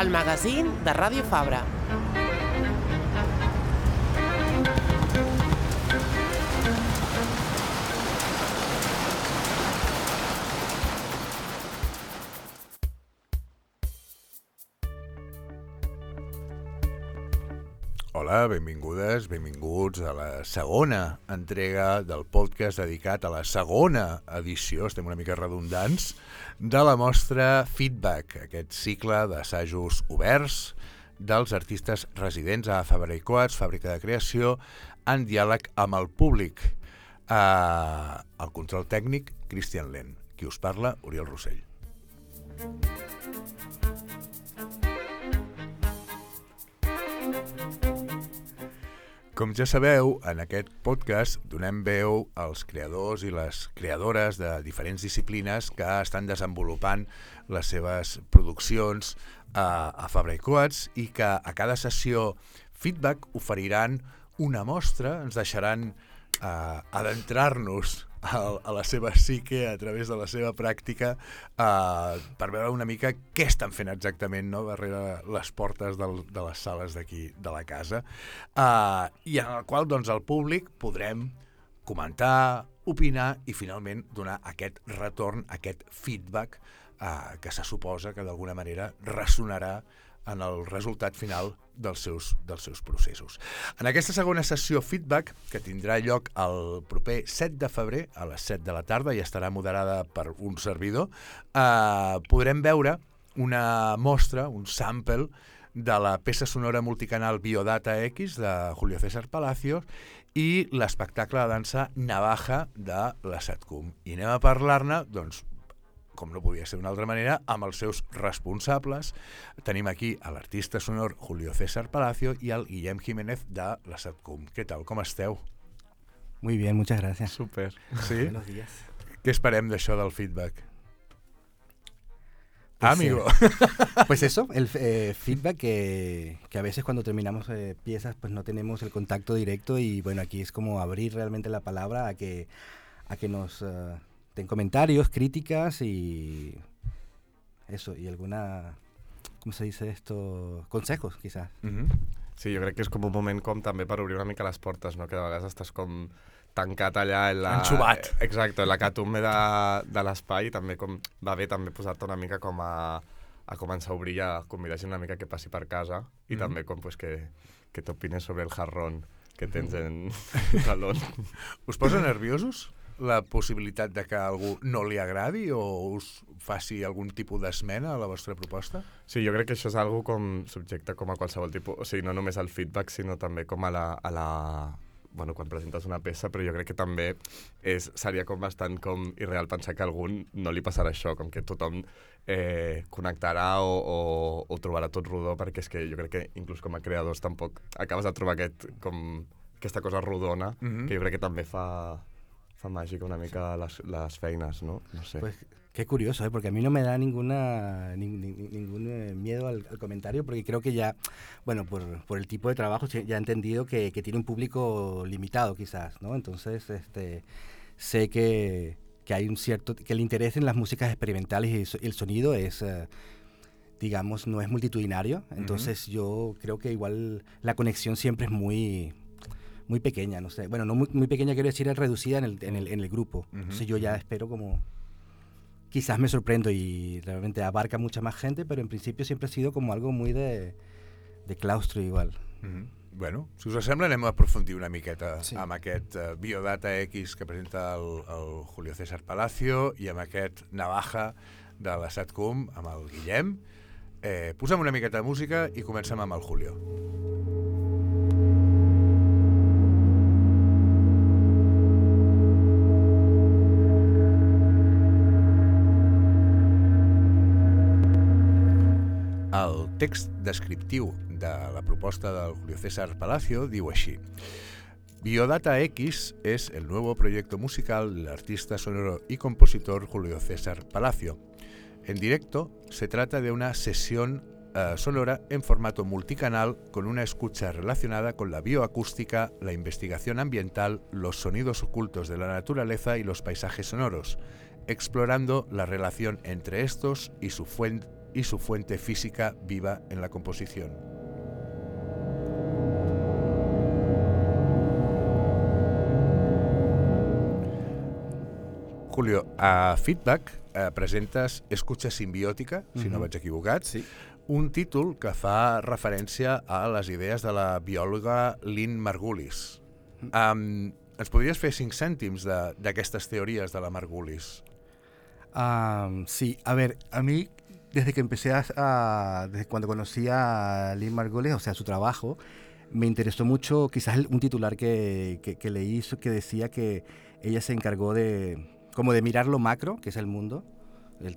el magazín de Ràdio Fabra. Hola, benvingudes, benvinguts a la segona entrega del podcast dedicat a la segona edició, estem una mica redundants, de la mostra Feedback, aquest cicle d'assajos oberts dels artistes residents a Fabra i Coats, fàbrica de creació, en diàleg amb el públic. El control tècnic, Cristian Lent. Qui us parla, Oriol Rossell. Com ja sabeu, en aquest podcast donem veu als creadors i les creadores de diferents disciplines que estan desenvolupant les seves produccions a Fabra i Coats i que a cada sessió Feedback oferiran una mostra, ens deixaran adentrar-nos a la seva psique a través de la seva pràctica per veure una mica què estan fent exactament, no?, darrere les portes de les sales d'aquí de la casa, i en el qual doncs, el públic podrem comentar, opinar i finalment donar aquest retorn, aquest feedback que se suposa que d'alguna manera ressonarà en el resultat final dels seus processos. En aquesta segona sessió Feedback, que tindrà lloc el proper 7 de febrer a les 7 de la tarda i estarà moderada per un servidor, podrem veure una mostra, un sample de la peça sonora multicanal Biodata X de Julio César Palacios i l'espectacle de dansa Navaja de la SATCUM. I anem a parlar-ne, doncs, com no podia ser d'una altra manera, amb els seus responsables. Tenim aquí a l'artista sonor Julio César Palacio y al Guillem Jiménez de la SATCUM. ¿Qué tal? Com esteu? Muy bien, muchas gracias. Súper. ¿Sí? Buenos días. Què esperem d'això del feedback? Pues, amigo. Pues eso, el feedback que a veces cuando terminamos piezas pues no tenemos el contacto directo y bueno, aquí es como abrir realmente la palabra a que nos... den comentarios, críticas y eso, y alguna, ¿cómo se dice esto? Consejos, quizás. Sí, jo crec que és com un moment com també per obrir una mica les portes, no? Que de vegades estàs com tancat allà en la... Enxubat. Exacte, en la catumbe de l'espai i també com va bé també posar-te una mica com a començar a obrir i a convidar gent una mica que passi per casa i també com pues, que t'opines sobre el jarrón que tens en salón. Us posa nerviosos la possibilitat de que a algú no li agradi o us faci algun tipus d'esmena a la vostra proposta? Sí, jo crec que això és algo com subjecte com a qualsevol tipus, o sigui, no només al feedback, sinó també com a la bueno, quan presentes una peça, però jo crec que també seria com bastant com irreal pensar que a algú no li passarà això, com que tothom connectarà o trobarà tot rodó, perquè és que jo crec que inclús com a creadors tampoc acabes de trobar aquesta cosa rodona, que jo crec que també fa mágica una mica las feines, ¿no? No sé. Pues qué curioso, porque a mí no me da ningún miedo al comentario, porque creo que ya, bueno, por el tipo de trabajo ya he entendido que tiene un público limitado quizás, ¿no? Entonces, sé que hay que el interés en las músicas experimentales y el sonido es... digamos, no es multitudinario, entonces yo creo que igual la conexión siempre es muy pequeña, no sé. Bueno, no muy pequeña, quiero decir, es reducida en el grupo. Entonces yo ya espero como... Quizás me sorprendo y realmente abarca mucha más gente, pero en principio siempre ha sido como algo muy de claustro igual. Bueno, si us sembla anem a aprofundir una miqueta amb aquest Biodata X que presenta el Julio César Palacio i amb aquest Navaja de la SATCUM amb el Guillem. Posem una miqueta de música i comencem amb el Julio. El text descriptiu de la proposta del Julio César Palacio diu així: Biodata X es el nuevo proyecto musical del artista sonoro y compositor Julio César Palacio. En directo se trata de una sesión sonora en formato multicanal con una escucha relacionada con la bioacústica, la investigación ambiental, los sonidos ocultos de la naturaleza y los paisajes sonoros, explorando la relación entre estos y su fuente y su fuente física viva en la composición. Julio, a Feedback presentes Escucha simbiòtica, si no vaig equivocat, Sí. un títol que fa referència a les idees de la biòloga Lynn Margulis. Ens podries fer 5 cèntims d'aquestes teories de la Margulis? Sí, a ver, a mí desde que empecé desde cuando conocí a Lynn Margulis, o sea, su trabajo, me interesó mucho quizás un titular que leí que decía que ella se encargó de mirar lo macro, que es el mundo,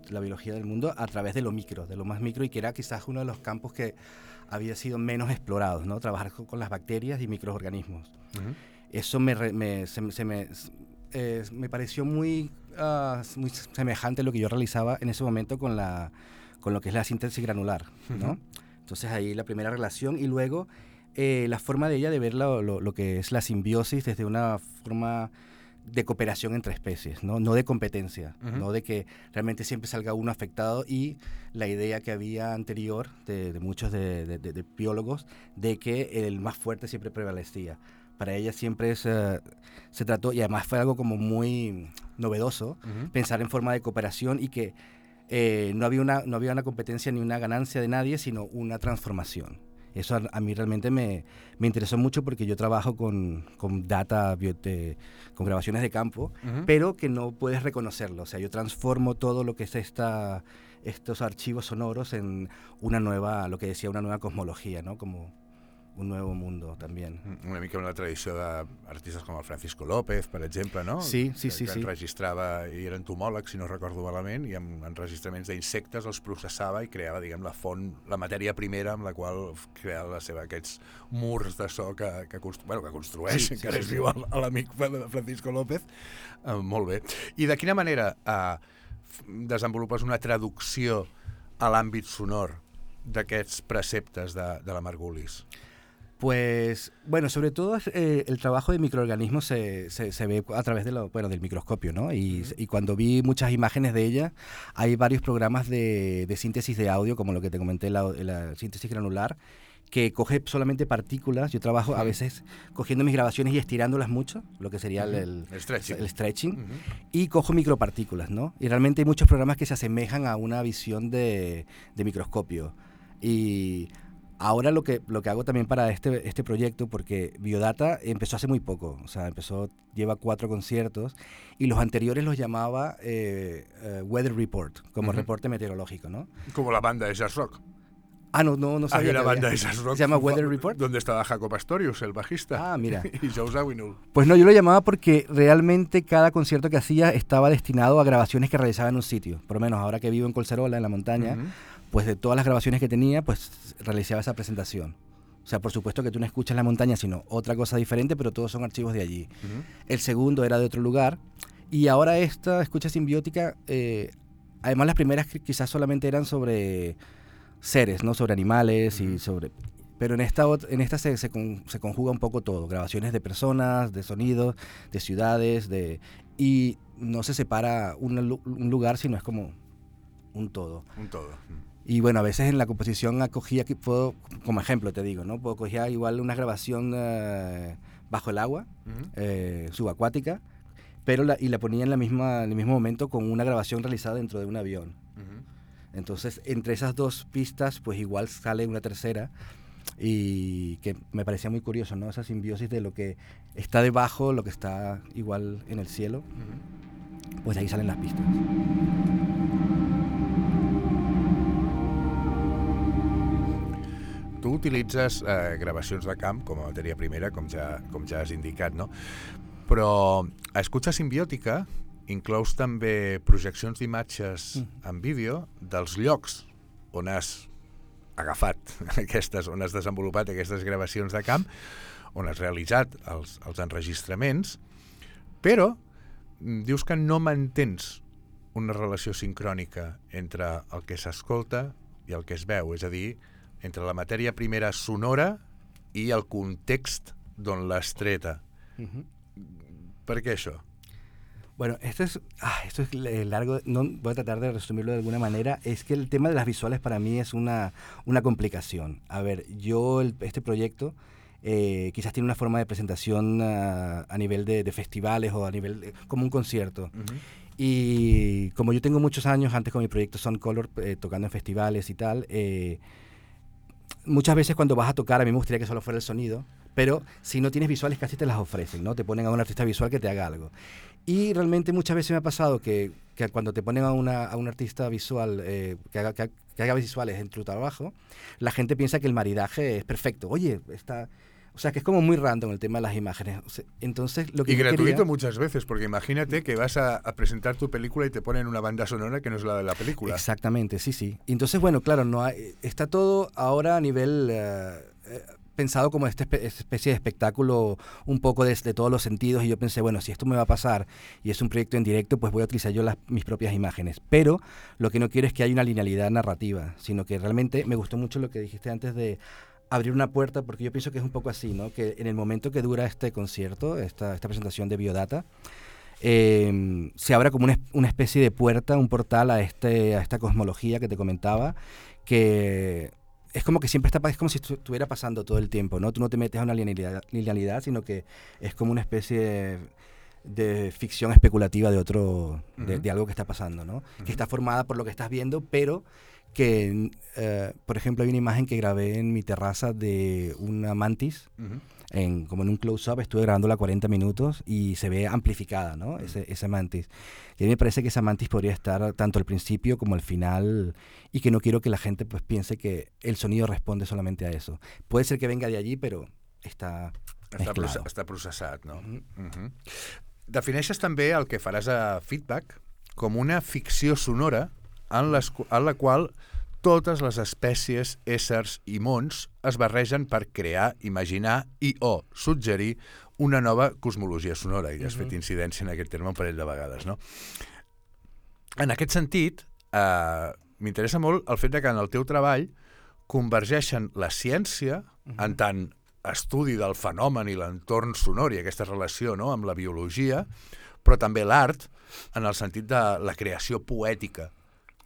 la biología del mundo, a través de lo micro, de lo más micro, y que era quizás uno de los campos que había sido menos explorados, ¿no? Trabajar con las bacterias y microorganismos. Eso me pareció muy semejante a lo que yo realizaba en ese momento con lo que es la síntesis granular, ¿no? Entonces ahí la primera relación, y luego la forma de ella de ver lo que es la simbiosis desde una forma de cooperación entre especies, no de competencia, no de que realmente siempre salga uno afectado, y la idea que había anterior de muchos de biólogos de que el más fuerte siempre prevalecía. Para ella siempre se trató, y además fue algo como muy novedoso, pensar en forma de cooperación, y que no había una competencia ni una ganancia de nadie, sino una transformación. Eso a mí realmente me interesó mucho, porque yo trabajo con data, con grabaciones de campo, pero que no puedes reconocerlo. O sea, yo transformo todo lo que es estos archivos sonoros en una nueva cosmología, ¿no? Como un nuevo mundo también. Una mica una tradició d'artistes com el Francisco López, per exemple, no? Sí. Que enregistrava, i era entomòleg, si no recordo malament, i amb enregistraments d'insectes els processava i creava, diguem, la font, la matèria primera amb la qual creava aquests murs de so que construeix, encara és viu l'amic Francisco López. Molt bé. I de quina manera desenvolupes una traducció a l'àmbit sonor d'aquests preceptes de la Margulis? Pues, bueno, sobre todo el trabajo de microorganismos se ve a través del microscopio, ¿no? Y cuando vi muchas imágenes de ella, hay varios programas de síntesis de audio, como lo que te comenté, la síntesis granular, que coge solamente partículas. Yo trabajo a veces cogiendo mis grabaciones y estirándolas mucho, lo que sería el stretching, y cojo micropartículas, ¿no? Y realmente hay muchos programas que se asemejan a una visión de microscopio. Y ahora lo que hago también para este proyecto, porque Biodata empezó hace muy poco, o sea, lleva 4 conciertos, y los anteriores los llamaba Weather Report, como reporte meteorológico, ¿no? Como la banda de jazz rock. No sabía. Había una banda de jazz rock. ¿Se llama Weather Report? Donde estaba Jacob Astorius, el bajista. Mira. Y Joe Zawinul. Pues no, yo lo llamaba porque realmente cada concierto que hacía estaba destinado a grabaciones que realizaba en un sitio. Por lo menos ahora que vivo en Collserola, en la montaña, pues de todas las grabaciones que tenía, pues realizaba esa presentación. O sea, por supuesto que tú no escuchas la montaña, sino otra cosa diferente, pero todos son archivos de allí. El segundo era de otro lugar. Y ahora esta escucha simbiótica, además las primeras quizás solamente eran sobre seres, ¿no? Sobre animales y sobre... Pero en esta se conjuga un poco todo. Grabaciones de personas, de sonidos, de ciudades, y no se separa un lugar, sino es como un todo. Un todo. Y bueno, a veces en la composición acogía, como ejemplo te digo, ¿no? Cogía igual una grabación bajo el agua, subacuática, pero la ponía en el mismo momento con una grabación realizada dentro de un avión. Entonces, entre esas dos pistas, pues igual sale una tercera, y que me parecía muy curioso, ¿no? Esa simbiosis de lo que está debajo, lo que está igual en el cielo, pues ahí salen las pistas. Tu utilitzes gravacions de camp com a matèria primera, com ja has indicat, no? Però a Escucha simbiòtica inclous també projeccions d'imatges en vídeo dels llocs on has agafat on has desenvolupat aquestes gravacions de camp, on has realitzat els enregistraments, però dius que no mantens una relació sincrònica entre el que s'escolta i el que es veu, és a dir, entre la matèria primera sonora i el context d'on l'has treta. Per què això? Bueno, esto es largo, no, voy a tratar de resumirlo de alguna manera. Es que el tema de las visuales para mí es una complicación. A ver, este proyecto quizás tiene una forma de presentación a nivel de festivales o a nivel como un concierto. Uh-huh. Y como yo tengo muchos años antes con mi proyecto Sound Color, tocando en festivales y tal, muchas veces cuando vas a tocar, a mí me gustaría que solo fuera el sonido, pero si no tienes visuales casi te las ofrecen, ¿no? Te ponen a un artista visual que te haga algo. Y realmente muchas veces me ha pasado que cuando te ponen a un artista visual que haga visuales en tu trabajo, la gente piensa que el maridaje es perfecto. Oye, o sea, que es como muy random el tema de las imágenes. O sea, entonces, lo que y gratuito muchas veces, porque imagínate que vas a presentar tu película y te ponen una banda sonora que no es la de la película. Exactamente, sí. Y entonces, bueno, claro, está todo ahora a nivel pensado como esta especie de espectáculo un poco de todos los sentidos, y yo pensé, bueno, si esto me va a pasar y es un proyecto en directo, pues voy a utilizar yo mis propias imágenes. Pero lo que no quiero es que haya una linealidad narrativa, sino que realmente me gustó mucho lo que dijiste antes de abrir una puerta, porque yo pienso que es un poco así, ¿no? Que en el momento que dura este concierto, esta presentación de Biodata, se abra como una especie de puerta, un portal a esta cosmología que te comentaba, que es como que siempre es como si estuviera pasando todo el tiempo, ¿no? Tú no te metes a una linealidad, sino que es como una especie de ficción especulativa de de algo que está pasando, ¿no? Que está formada por lo que estás viendo, pero que, por ejemplo, hay una imagen que grabé en mi terraza de una mantis, como en un close-up, estuve grabándola 40 minutos y se ve amplificada, ¿no? Esa mantis. Y a mí me parece que esa mantis podría estar tanto al principio como al final, y que no quiero que la gente pues piense que el sonido responde solamente a eso. Puede ser que venga de allí, però està mezclado. Està processat, no? Defineixes també el que faràs a Feedback com una ficció sonora en la qual totes les espècies, éssers i mons es barregen per crear, imaginar o suggerir una nova cosmologia sonora. I has fet incidència en aquest terme un parell de vegades, no? En aquest sentit, m'interessa molt el fet que en el teu treball convergeixen la ciència en tant estudi del fenomen i l'entorn sonor i aquesta relació, no?, amb la biologia, però també l'art en el sentit de la creació poètica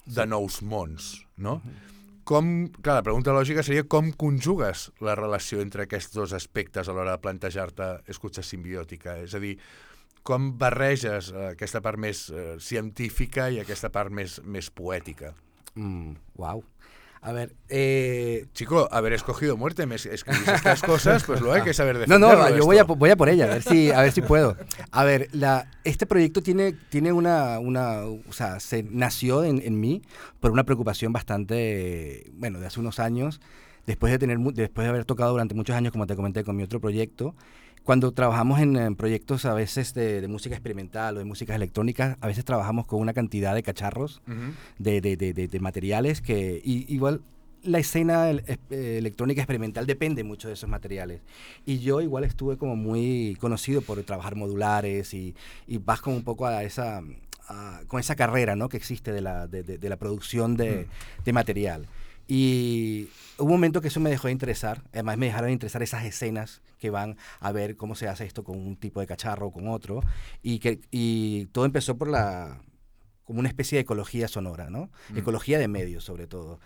de nous mons, no? Clar, la pregunta lògica seria com conjugues la relació entre aquests dos aspectes a l'hora de plantejar-te escucha simbiòtica? És a dir, com barreges aquesta part més científica i aquesta part més poètica? Wow. A ver, Chico, haber escogido muerte, me escribís estas cosas, pues lo hay que saber defenderlo. No, yo voy a por ella, a ver si puedo. A ver, este proyecto tiene o sea, se nació en mí por una preocupación bastante, bueno, de hace unos años, después de haber tocado durante muchos años, como te comenté, con mi otro proyecto. Cuando trabajamos en proyectos a veces de música experimental o de músicas electrónicas, a veces trabajamos con una cantidad de cacharros, de materiales que igual la escena electrónica experimental depende mucho de esos materiales. Y yo igual estuve como muy conocido por trabajar modulares y vas como un poco con esa carrera, ¿no?, que existe de la producción de material. Y hubo un momento que eso me dejó de interesar. Además me dejaron de interesar esas escenas que van a ver cómo se hace esto con un tipo de cacharro o con otro, y todo empezó como una especie de ecología sonora, ¿no? Ecología de medios, sobre todo.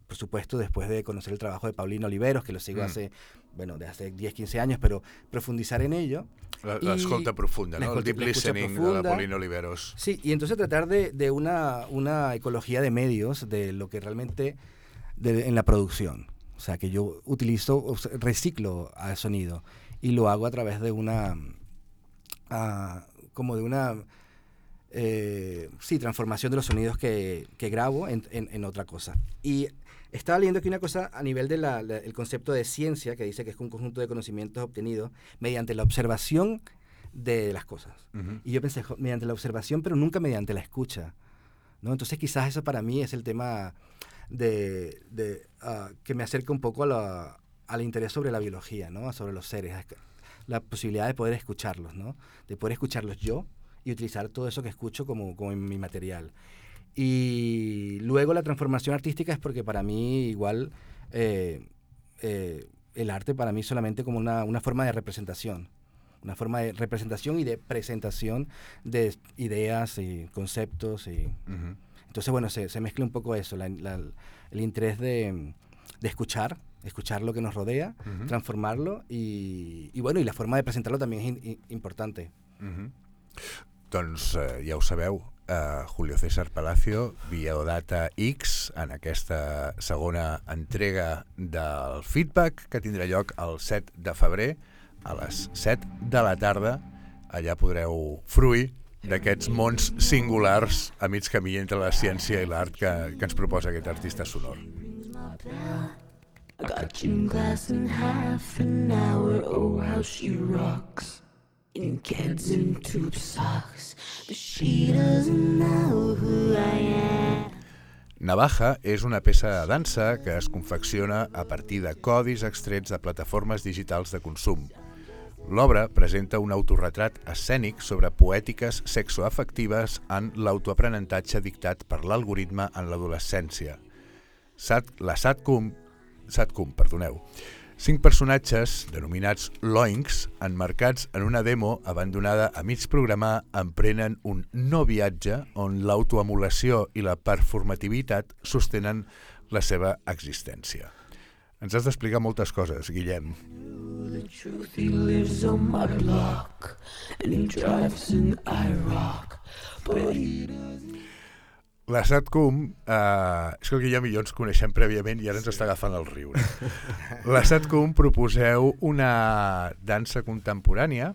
Por supuesto, después de conocer el trabajo de Paulino Oliveros, que lo sigo de hace 10, 15 años, pero profundizar en ello. La escolta profunda, ¿no? El deep listening de Paulino Oliveros. Sí, y entonces tratar de una ecología de medios, de lo que realmente en la producción. O sea, que yo reciclo al sonido y lo hago a través de transformación de los sonidos que grabo en otra cosa. Y estaba leyendo aquí una cosa a nivel del concepto de ciencia, que dice que es un conjunto de conocimientos obtenidos mediante la observación de las cosas. Y yo pensé, mediante la observación, pero nunca mediante la escucha, ¿no? Entonces quizás eso para mí es el tema que me acerca un poco al interés sobre la biología, ¿no?, sobre los seres, la posibilidad de poder escucharlos, ¿no?, de poder escucharlos yo y utilizar todo eso que escucho como en mi material. Y luego la transformación artística es porque para mí igual el arte para mí solamente como una forma de representación. una forma de representación y de presentación de ideas y conceptos. Entonces, bueno, se mezcla un poco eso, el interés de escuchar lo que nos rodea, transformarlo y bueno, y la forma de presentarlo también es importante. Doncs ja ho sabeu, Julio César Palacio, Biodata X, en aquesta segona entrega del feedback que tindrà lloc el 7 de febrer a les 7 de la tarda. Allà podreu fruir d'aquests mons singulars a mig camí entre la ciència i l'art que ens proposa aquest artista sonor. I got you in glass in half an hour. Oh, how she rocks in kids and tube socks, but she doesn't know who I am. Navaja és una peça de dansa que es confecciona a partir de codis extrets de plataformes digitals de consum. L'obra presenta un autorretrat escènic sobre poètiques sexoafectives en l'autoaprenentatge dictat per l'algoritme en l'adolescència. La Satkum, 5 personatges, denominats Loinks, emmarcats en una demo abandonada a mig programar, emprenen un no viatge on l'autoemulació i la performativitat sostenen la seva existència. Ens has d'explicar moltes coses, Guillem. The truth, he lives on my block and he drives an IROC, but he doesn't. La Satkum, és que el Guillem i jo ens coneixem prèviament i ara ens està agafant el riure. La Satkum proposeu una dansa contemporània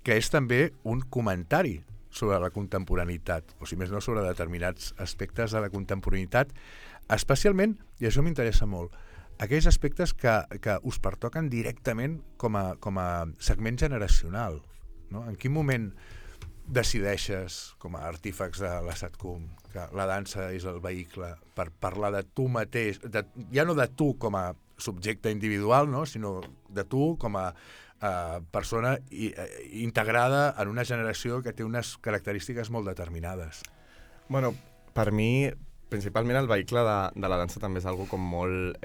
que és també un comentari sobre la contemporaneitat, o si més no sobre determinats aspectes de la contemporaneitat, especialment, i això m'interessa molt, aquells aspectes que us pertoquen directament com a segment generacional. No? En quin moment decideixes, com a artífex de la Satkum, que la dansa és el vehicle per parlar de tu mateix, ja no de tu com a subjecte individual, no? Sinó de tu com a persona integrada en una generació que té unes característiques molt determinades? Bueno, per mi, principalment el vehicle de la dansa també és algo com molt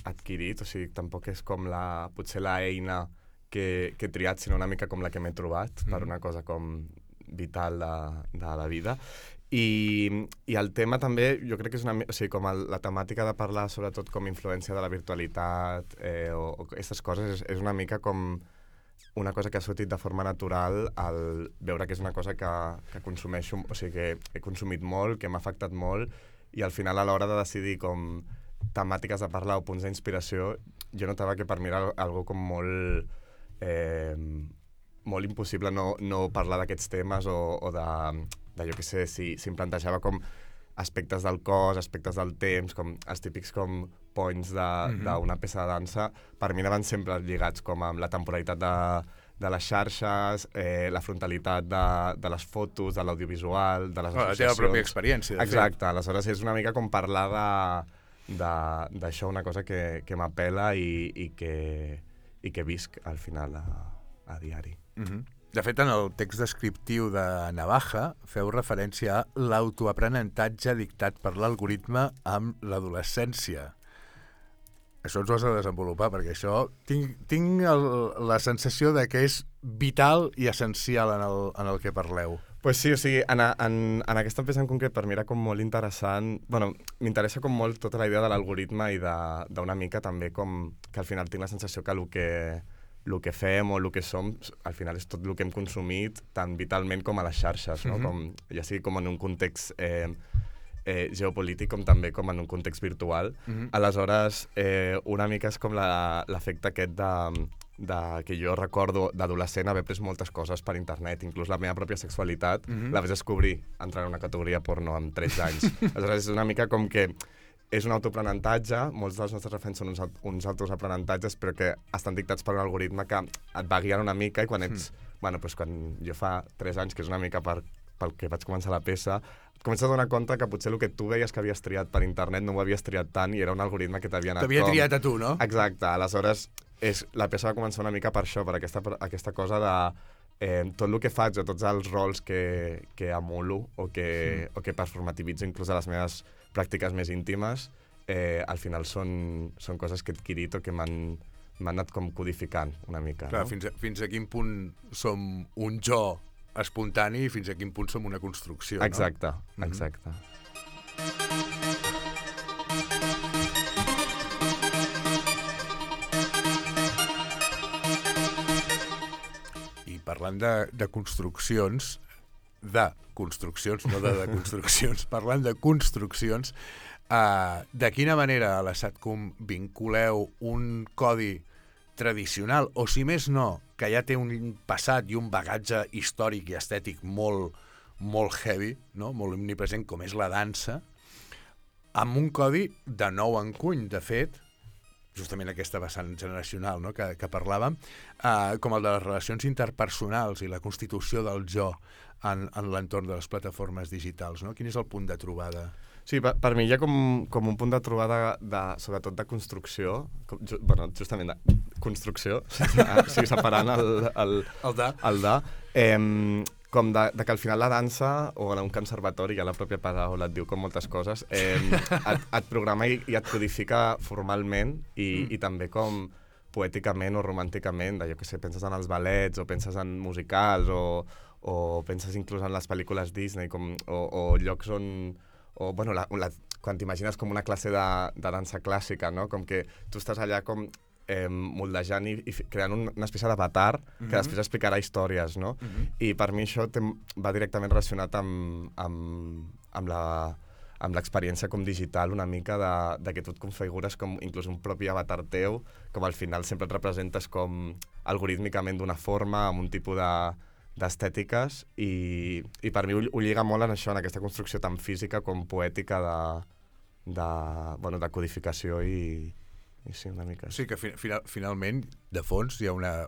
adquirit, o sigui, tampoc és com potser la eina que he triat, sinó una mica com la que m'he trobat per una cosa com vital de la vida. I el tema també, jo crec que és o sigui, com la temàtica de parlar sobretot com influència de la virtualitat o aquestes coses és una mica com una cosa que ha sortit de forma natural al veure que és una cosa que consumeixo, o sigui, que he consumit molt, que m'ha afectat molt, i al final a l'hora de decidir com temàtiques de parlar o punts d'inspiració, jo notava que per mi era algo com molt impossible no parlar d'aquests temes o de jo què sé, si em plantejava com aspectes del cos, aspectes del temps, com els típics com points d'una peça de dansa, per mi anaven sempre lligats com amb la temporalitat de les xarxes, la frontalitat de les fotos, de l'audiovisual, de les associacions. La teva pròpia experiència. Exacte, aleshores és una mica com parlar d'això, una cosa que m'apela i que visc al final a diari. De fet, en el text descriptiu de Navaja feu referència a l'autoaprenentatge dictat per l'algoritme amb l'adolescència. Això ens ho has de desenvolupar, perquè això tinc la sensació de que és vital i essencial en el que parleu. Pues sí, o sigui, en aquesta peça en concret per mi era com molt interessant, bueno, m'interessa com molt tota la idea de l'algoritme i d'una mica també com que al final tinc la sensació que el que fem o el que som, al final és tot el que hem consumit tant vitalment com a les xarxes, no? Ja sigui com en un context geopolític com també com en un context virtual. Aleshores, una mica és com l'efecte aquest que jo recordo d'adolescent haver pres moltes coses per internet, inclús la meva pròpia sexualitat la vaig descobrir entrant en una categoria porno amb 13 anys. Aleshores és una mica com que és un autoaprenentatge, molts dels nostres referents són uns autoaprenentatges, però que estan dictats per un algoritme que et va guiant una mica i quan ets... Bueno, doncs quan jo fa 3 anys, que és una mica pel que vaig començar la peça, et comences a donar compte que potser el que tu veies que havies triat per internet no ho havies triat tant i era un algoritme que t'havia anat T'havia triat a tu, no? Exacte, aleshores la peça va començar una mica per això, per aquesta cosa de tot el que faig o tots els rols que emulo o que performativitzo inclús a les meves pràctiques més íntimes, al final són coses que he adquirit o que m'han m'han anat com codificant una mica. Clar, no? fins a quin punt som un jo espontani i fins a quin punt som una construcció, Exacte, no? exacte. I parlant de construccions, no de construccions, parlant de construccions, de quina manera a la SATCOM vinculeu un codi tradicional, o si més no, que ja té un passat i un bagatge històric i estètic molt, molt heavy, no? Molt omnipresent, com és la dansa, amb un codi de nou encuny, de fet, justament aquesta vessant generacional, no? que parlàvem, com el de les relacions interpersonals i la constitució del jo en l'entorn de les plataformes digitals, no? Quin és el punt de trobada? Sí, per mi hi ha com un punt de trobada, sobretot de construcció, justament de construcció, o sigui, separant el de, com de que al final la dansa, o en un conservatori, ja la pròpia paraula et diu com moltes coses, et programa i et codifica formalment i també com poèticament o romànticament, jo què sé, penses en els ballets o penses en musicals o penses inclús en les pel·lícules Disney o llocs on... o bueno, quan t'imagines com una classe de dansa clàssica, no? Com que tu estàs allà com moldejant i creant una espècie d'avatar que després explicarà històries, no? I per mi això va directament relacionat amb l'experiència com digital una mica de que tu et configures com inclús un propi avatar teu, com al final sempre et representes com algorítmicament d'una forma, amb un tipus d'estètiques i per mi ho lliga molt en això, en aquesta construcció tan física com poètica de codificació i sí, una mica. Sí, que finalment, de fons, hi ha una...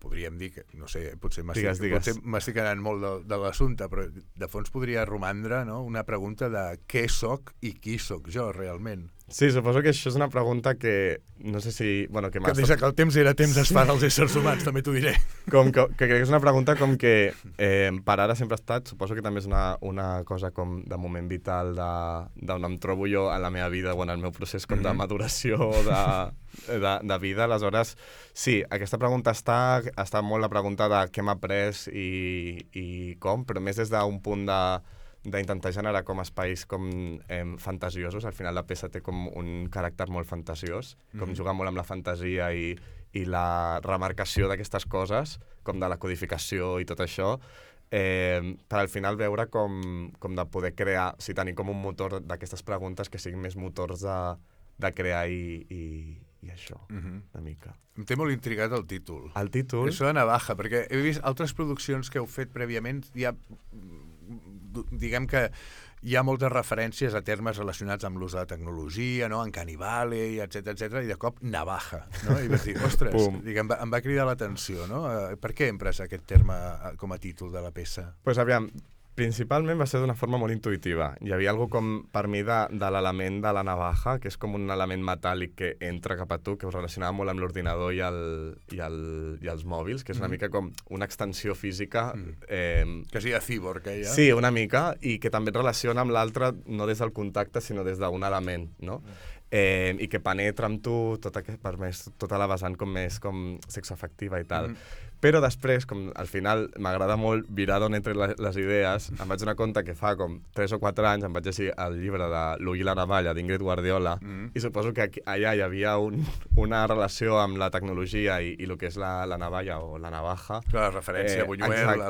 Podríem dir que, no sé, potser m'estic anant molt de l'assumpte, però de fons podria romandre, no? Una pregunta de què soc i qui soc jo, realment. Sí, suposo que això és una pregunta que no sé si... Bueno, que des que el temps era temps es fan els éssers humans, també t'ho diré. Que crec que és una pregunta com que per ara sempre ha estat, suposo que també és una cosa com de moment vital d'on em trobo jo en la meva vida o en el meu procés com de maduració de vida. Aleshores, sí, aquesta pregunta està molt la pregunta de què m'ha après i com, però més des d'un punt d'intentar generar com espais com fantasiosos. Al final la peça té com un caràcter molt fantasiós, com jugar molt amb la fantasia i la remarcació d'aquestes coses, com de la codificació i tot això, per al final veure com de poder crear, o sigui, tenir com un motor d'aquestes preguntes que siguin més motors de crear i això, una mica. Em té molt intrigat el títol. El títol? Això de Navaja, perquè he vist altres produccions que heu fet prèviament, diguem que hi ha moltes referències a termes relacionats amb l'ús de la tecnologia, no? En Canibale, etc, i de cop Navaja, no? I vas dir, ostres, em va cridar l'atenció, no? Per què empres aquest terme com a títol de la peça? Pues aviam, principalment va ser d'una forma molt intuïtiva. Hi havia algo com, per mi, de l'element de la navaja, que és com un element metàl·lic que entra cap a tu, que us relacionava molt amb l'ordinador i els mòbils, que és una mica com una extensió física. Que sigui cyborg, ja? Sí, una mica, i que també et relaciona amb l'altre no des del contacte, sinó des d'un element, no? I que penetra amb tu tota la vessant com més com sexoafectiva i tal. Però després, com al final m'agrada molt virar d'on entren les idees, em vaig donar compte que fa com 3 o 4 anys em vaig llegir el llibre de L'Ull i la navalla d'Ingrid Guardiola i suposo que allà hi havia una relació amb la tecnologia i el que és la navalla o la navaja. La referència a Buñuel,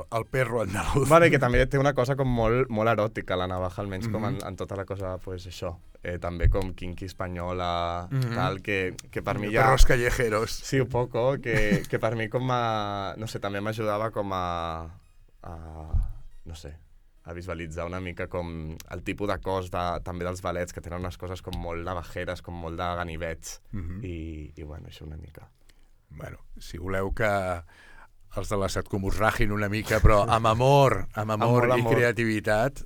al perro andaluz. Bueno, i que també té una cosa com molt eròtica, la navaja, almenys com en tota la cosa, pues això. També com kinky espanyola, tal, que per mi ja... Perros callejeros. Sí, un poco, que per mi com a... No sé, també m'ajudava com a no sé, a visualitzar una mica com el tipus de cos també dels ballets, que tenen unes coses com molt navajeres, com molt de ganivets, i bueno, això una mica. Bueno, si voleu que els de la SATCOM us ragin una mica, però amb amor i creativitat,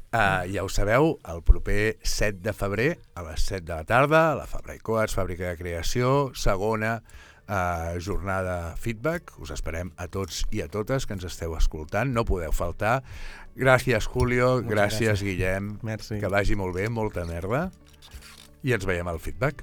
ja ho sabeu, el proper 7 de febrer a les 7 de la tarda, a la Fabra i Coats, Fàbrica de Creació, segona jornada feedback. Us esperem a tots i a totes que ens esteu escoltant, no podeu faltar. Gràcies, Julio, gràcies, Guillem. Merci. Que vagi molt bé, molta merda, i ens veiem al feedback.